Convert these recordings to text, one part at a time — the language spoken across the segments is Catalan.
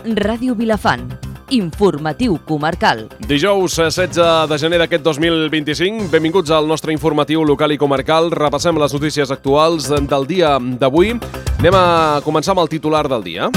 Ràdio Vilafant. Informatiu comarcal. Dijous 16 de gener d'aquest 2025. Benvinguts al nostre informatiu local i comarcal. Repassem les notícies actuals del dia d'avui. Anem a començar amb el titular del dia.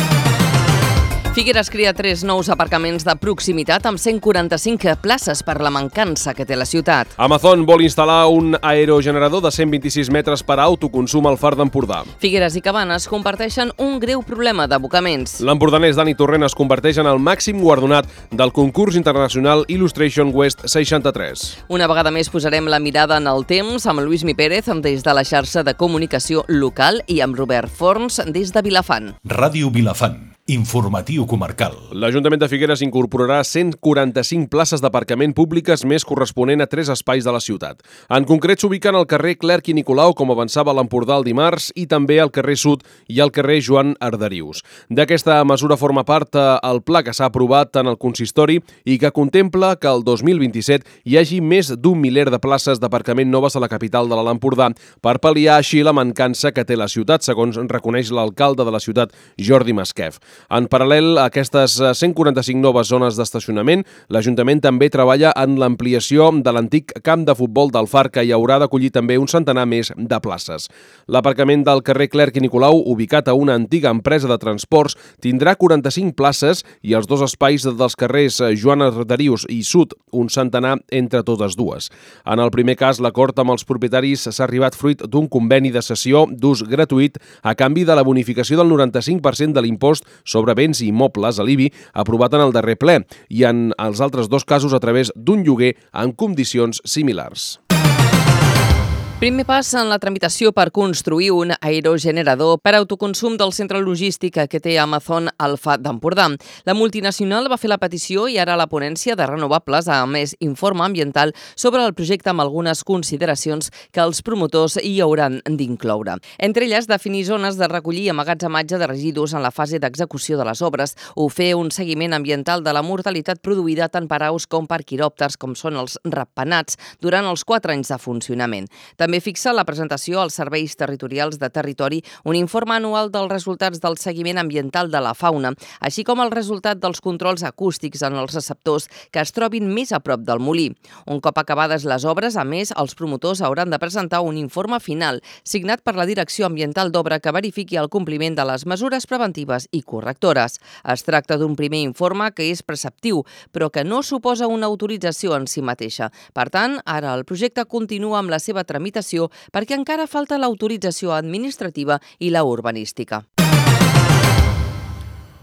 Figueres crea 3 nous aparcaments de proximitat amb 145 places per la mancança que té la ciutat. Amazon vol instal·lar un aerogenerador de 126 metres per a autoconsum al Far d'Empordà. Figueres i Cabanes comparteixen un greu problema d'abocaments. L'empordanès Dani Torrent es converteix en el màxim guardonat del concurs internacional Illustration West 63. Una vegada més posarem la mirada en el temps amb Lluís Pérez des de la xarxa de comunicació local i amb Robert Forns des de Vilafant. Ràdio Vilafant. Informatiu comarcal. L'Ajuntament de Figueres incorporarà 145 places d'aparcament públiques més corresponent a 3 espais de la ciutat. En concret s'ubiquen al carrer Clerc i Nicolau, com avançava l'Empordà el dimarts, i també al carrer Sud i al carrer Joan Arderius. D'aquesta mesura forma part el pla que s'ha aprovat en el consistori i que contempla que el 2027 hi hagi més d'un miler de places d'aparcament noves a la capital de l'Empordà per pal·liar així la mancança que té la ciutat, segons reconeix l'alcalde de la ciutat, Jordi Masquef. En paral·lel a aquestes 145 noves zones d'estacionament, l'Ajuntament també treballa en l'ampliació de l'antic camp de futbol del Far, que hi haurà d'acollir també un centenar més de places. L'aparcament del carrer Clerc i Nicolau, ubicat a una antiga empresa de transports, tindrà 45 places i els 2 espais dels carrers Joan Arderius i Sud, un centenar entre totes dues. En el primer cas, l'acord amb els propietaris s'ha arribat fruit d'un conveni de cessió d'ús gratuït a canvi de la bonificació del 95% de l'impost sobre béns i immobles a l'IBI aprovat en el darrer ple i en els altres 2 casos a través d'un lloguer en condicions similars. Primer pas en la tramitació per construir un aerogenerador per autoconsum del centre logístic que té Amazon al Far d'Empordà. La multinacional va fer la petició i ara la ponència de renovables ha emès informe ambiental sobre el projecte amb algunes consideracions que els promotors hi hauran d'incloure. Entre elles, definir zones de recollir i emmagatzematge de residus en la fase d'execució de les obres o fer un seguiment ambiental de la mortalitat produïda tant per aus com per quiròpters, com són els ratpenats, durant els 4 anys de funcionament. També fixa la presentació als serveis territorials de territori un informe anual dels resultats del seguiment ambiental de la fauna, així com el resultat dels controls acústics en els receptors que es trobin més a prop del molí. Un cop acabades les obres, a més, els promotors hauran de presentar un informe final signat per la Direcció Ambiental d'Obra que verifiqui el compliment de les mesures preventives i correctores. Es tracta d'un primer informe que és preceptiu, però que no suposa una autorització en si mateixa. Per tant, ara el projecte continua amb la seva tramitació perquè encara falta l'autorització administrativa i la urbanística.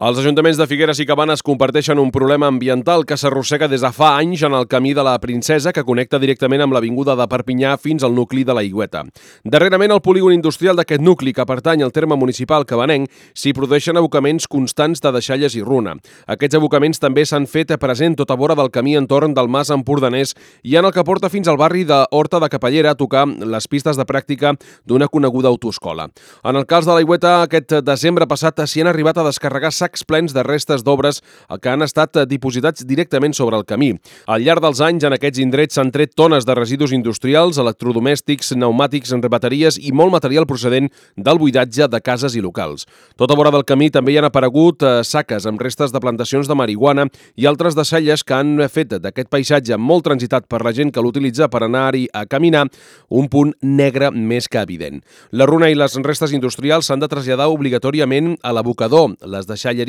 Els ajuntaments de Figueres i Cabanes comparteixen un problema ambiental que s'arrossega des de fa anys en el camí de la Princesa que connecta directament amb l'avinguda de Perpinyà fins al nucli de l'Aigüeta. Darrerament, al polígon industrial d'aquest nucli, que pertany al terme municipal cabanenc, s'hi produeixen abocaments constants de deixalles i runa. Aquests abocaments també s'han fet present tota vora del camí entorn del Mas Empordanès i en el que porta fins al barri d'Horta de Capellera a tocar les pistes de pràctica d'una coneguda autoescola. En el cas de l'Aigüeta, aquest desembre passat s'hi han arribat a descarregar sacs plens de restes d'obres que han estat dipositats directament sobre el camí. Al llarg dels anys, en aquests indrets s'han tret tones de residus industrials, electrodomèstics, pneumàtics, bateries i molt material procedent del buidatge de cases i locals. Tota vora del camí també hi han aparegut saques amb restes de plantacions de marihuana i altres deixalles que han fet d'aquest paisatge molt transitat per la gent que l'utilitza per anar-hi a caminar un punt negre més que evident. La runa i les restes industrials s'han de traslladar obligatòriament a l'abocador, les deixalles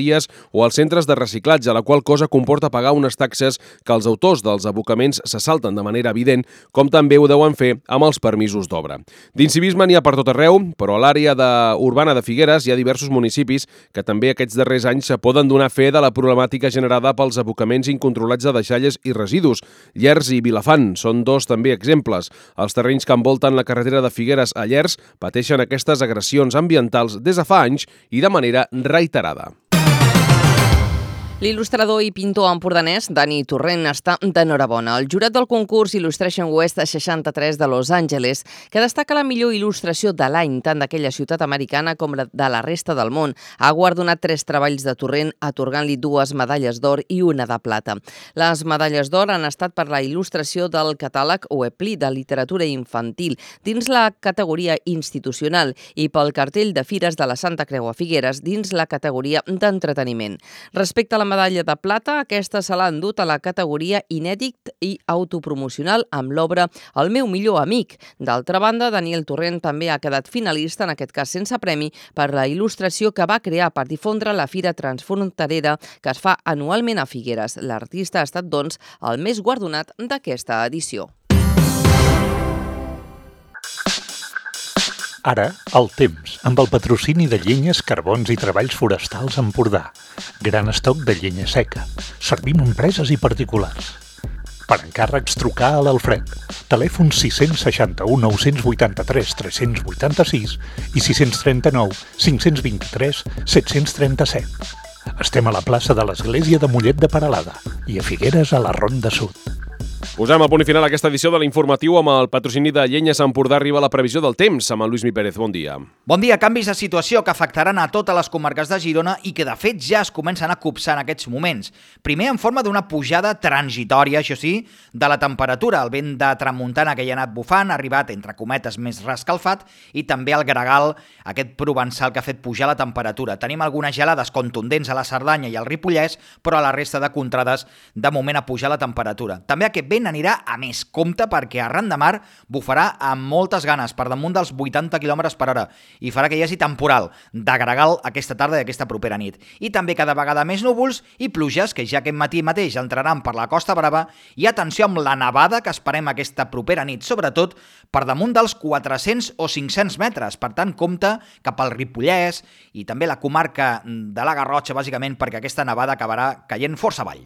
o als centres de reciclatge, la qual cosa comporta pagar unes taxes que els autors dels abocaments se salten de manera evident, com també ho deuen fer amb els permisos d'obra. D'incivisme n'hi ha per tot arreu, però a l'àrea urbana de Figueres hi ha diversos municipis que també aquests darrers anys poden donar fe de la problemàtica generada pels abocaments incontrolats de deixalles i residus. Llers i Vilafant són 2 també exemples. Els terrenys que envolten la carretera de Figueres a Llers pateixen aquestes agressions ambientals des de fa anys i de manera reiterada. L'il·lustrador i pintor empordanès Dani Torrent està d'enhorabona. El jurat del concurs Illustration West 63 de Los Angeles, que destaca la millor il·lustració de l'any, tant d'aquella ciutat americana com de la resta del món, ha guardonat 3 treballs de Torrent, atorgant-li 2 medalles d'or i 1 de plata. Les medalles d'or han estat per la il·lustració del catàleg Oepli de literatura infantil dins la categoria institucional i pel cartell de fires de la Santa Creu a Figueres dins la categoria d'entreteniment. Respecte a la medalla de plata, aquesta se l'ha endut a la categoria inèdit i autopromocional amb l'obra El meu millor amic. D'altra banda, Daniel Torrent també ha quedat finalista, en aquest cas sense premi, per la il·lustració que va crear per difondre la Fira Transfronterera que es fa anualment a Figueres. L'artista ha estat, doncs, el més guardonat d'aquesta edició. Ara, el temps, amb el patrocini de Llenyes, Carbons i Treballs Forestals Empordà. Gran estoc de llenya seca. Servim empreses i particulars. Per encàrrecs, trucar a l'Alfred. Telèfon 661 983 386 i 639 523 737. Estem a la plaça de l'Església de Mollet de Peralada i a Figueres a la Ronda Sud. Posem a punt i final aquesta edició de l'Informatiu amb el patrocini de Llenyes Empordà. Arriba la previsió del temps amb el Lluís Mi Pérez. Bon dia. Bon dia. Canvis de situació que afectaran a totes les comarques de Girona i que de fet ja es comencen a copsar en aquests moments. Primer en forma d'una pujada transitòria, això sí, de la temperatura. El vent de tramuntana que hi ha anat bufant ha arribat, entre cometes, més rescalfat i també el gregal, aquest provençal que ha fet pujar la temperatura. Tenim algunes gelades contundents a la Cerdanya i al Ripollès, però a la resta de contrades de moment ha pujat la temperatura. També aquest vent anirà a més. Compte perquè arran de mar bufarà amb moltes ganes, per damunt dels 80 km per hora, i farà que hi hagi temporal de gregal aquesta tarda i aquesta propera nit. I també cada vegada més núvols i pluges que ja aquest matí mateix entraran per la Costa Brava, i atenció amb la nevada que esperem aquesta propera nit, sobretot per damunt dels 400 o 500 metres. Per tant, compte cap al Ripollès i també la comarca de la Garrotxa, bàsicament perquè aquesta nevada acabarà caient força avall.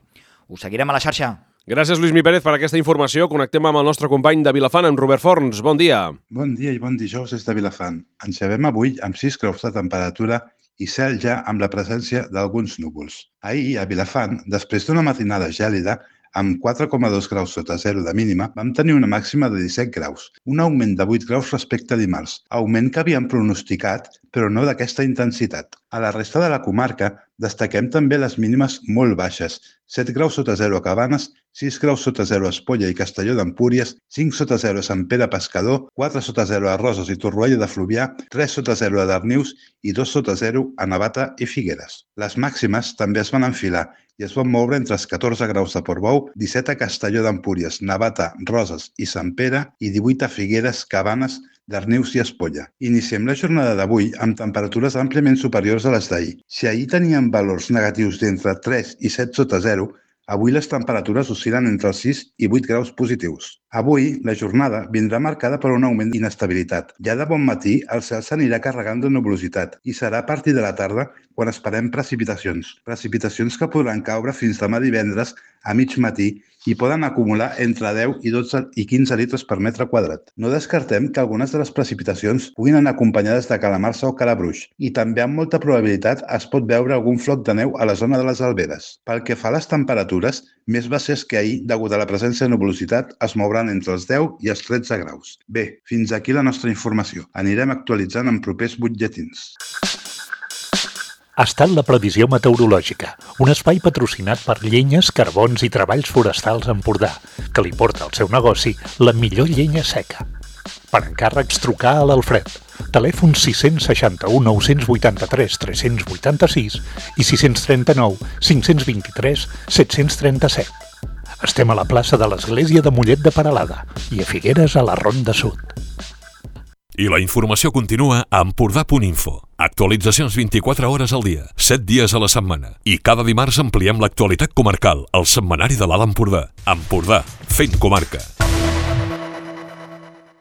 Us seguirem a la xarxa. Gràcies, Lluís Mi Pérez, per aquesta informació. Connectem amb el nostre company de Vilafant, amb Robert Forns. Bon dia. Bon dia i bon dijous des de Vilafant. Ens llevem avui amb 6 graus de temperatura i cel ja amb la presència d'alguns núvols. Ahir, a Vilafant, després d'una matinada gèlida, amb 4,2 graus sota zero de mínima, vam tenir una màxima de 17 graus, un augment de 8 graus respecte a dimarts, augment que havíem pronosticat, però no d'aquesta intensitat. A la resta de la comarca destaquem també les mínimes molt baixes, 7 graus sota zero a Cabanes, 6 graus sota zero a Espolla i Castelló d'Empúries, 5 sota zero a Sant Pere Pescador, 4 sota zero a Roses i Torroella de Fluvià, 3 sota zero a Darnius i 2 sota zero a Navata i Figueres. Les màximes també es van enfilar i es van moure entre els 14 graus de Portbou, 17 a Castelló d'Empúries, Navata, Roses i Sant Pere i 18 a Figueres, Cabanes, Darnius i Espolla. Iniciem la jornada d'avui amb temperatures àmpliament superiors a les d'ahir. Si ahir teníem valors negatius d'entre 3 i 7 sota zero, avui les temperatures oscil·len entre els 6 i 8 graus positius. Avui, la jornada vindrà marcada per un augment d'inestabilitat. Ja de bon matí, el cel s'anirà carregant de nuvolositat i serà a partir de la tarda quan esperem precipitacions. Precipitacions que podran caure fins demà divendres a mig matí i poden acumular entre 10 i 12 i 15 litres per metre quadrat. No descartem que algunes de les precipitacions puguin anar acompanyades de calamarsa o calabruix i també amb molta probabilitat es pot veure algun floc de neu a la zona de les Alberes. Pel que fa a les temperatures, més baixes que ahir, degut a la presència de nuvolositat, es mouran entre els 10 i els 13 graus. Bé, fins aquí la nostra informació. Anirem actualitzant en propers butlletins. Ha estat la previsió meteorològica, un espai patrocinat per Llenyes, Carbons i Treballs Forestals Empordà, que li porta al seu negoci la millor llenya seca. Per encàrrecs, trucar a l'Alfred. Telèfon 661 983 386 i 639 523 737. Estem a la plaça de l'Església de Mollet de Peralada i a Figueres a la Ronda Sud. I la informació continua a Empordà.info. Actualitzacions 24 hores al dia, 7 dies a la setmana. I cada dimarts ampliem l'actualitat comarcal, al setmanari de l'Alt Empordà. Empordà, fent comarca.